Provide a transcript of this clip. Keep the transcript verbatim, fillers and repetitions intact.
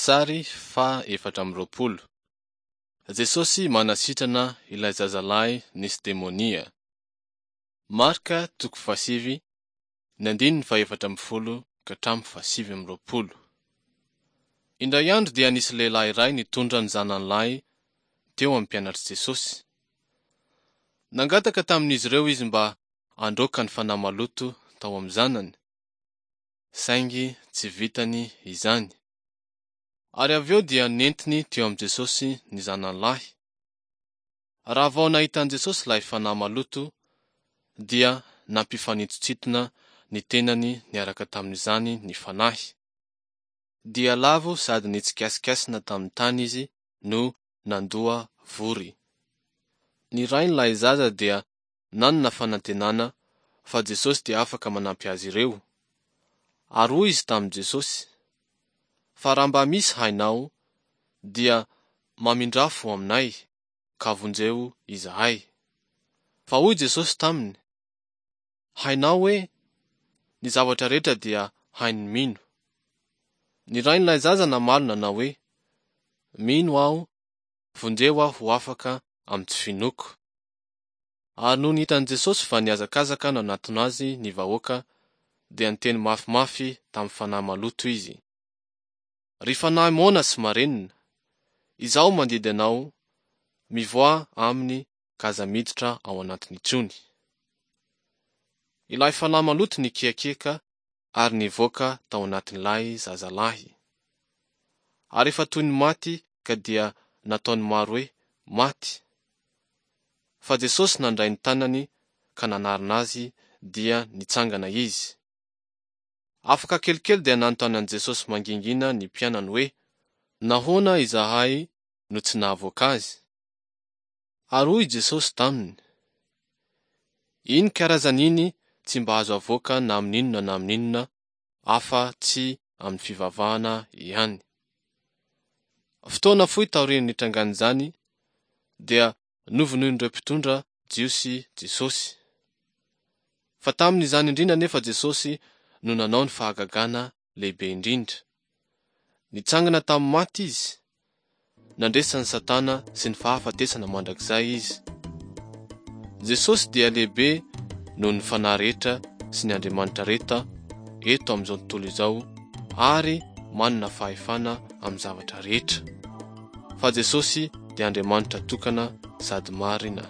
Sary faha efatra amby roapolo. Jesosy manasitrana ilay zazalahy nisy demonia. Marka toko fahasivy, ny andininy fahefatra ambin'ny folo ka hatramin'ny fahasivy amby roapolo. Indray andro dia nisy lehilahy iray nitondra ny zanany lahy teo amin'ny mpianatr'i Jesosy. Nangataka tamin'izy ireo izy mba handroaka ny fanahy maloto tao amin'ny zanany, saingy tsy vitany izany. Ary avy eo dia nentiny teo amin'i Jesosy ny zanany lahy. Raha vao nahita an'i Jesosy ilay fanahy maloto, dia nampifanintontsintona ny tenany niaraka tamin'izany ny fanahy. Dia lavo sady nitsikasikaisina tamin'ny tany izy no nandoa vory. Ny rain'ilay zaza dia nanana fanantenana fa Jesosy dia afaka manampy azy ireo. Ary hoy izy tamin'i Jesosy, Fa raha mba misy hainao, dia mamindrafo aminay, ka vonjeo izahay. Fa hoy Jesosy taminy, Hainao hoe? Ny zavatra rehetra dia hain'ny mino. Ny rain'ilay zaza namaly nanao hoe, Mino aho, vonjeo aho ho afaka amin'ny tsy finoako. Ary nony hitan'i Jesosy fa nihazakazaka nanatona azy ny vahoaka, dia niteny mafimafy tamin'ny fanahy maloto izy. Ry fanahy moana sy marenina, izaho mandidy anao, mivoaha aminy ka aza miditra ao anatiny intsony. Ilay fanahy maloto nikiakiaka ary nivoaka tao anatin'ilay zazalahy. Ary efa toy ny maty ka dia nataon'ny maro hoe maty. Fa Jesosy nandray ny tanany ka nanarina azy dia nitsangana izy. Afaka kelikely dia nanontany an'i Jesosy mangingina ny mpianany hoe, Nahoana izahay no tsy nahavoaka azy? Ary hoy Jesosy taminy, Iny karazany iny tsy mba azo avoaka na amin'inona na amin'inona afa-tsy amin'ny fivavahana ihany. Fotoana fohy taorian'ny nitrangan'izany dia novonoin'ireo mpitondra Jiosy Jesosy. Fa tamin'izany indrindra anefa Jesosy no nanao ny fahagagana lehibe indrindra. Nitsangana tamin'ny maty izy, nandresy an'i Satana sy ny fahafatesana mandrakizay izy. Jesosy dia lehibe noho ny fanahy rehetra sy ny andriamanitra rehetra eto amin'izao tontolo izao ary manana fahefana amin'ny zavatra rehetra. Fa Jesosy dia Andriamanitra tokana sady marina.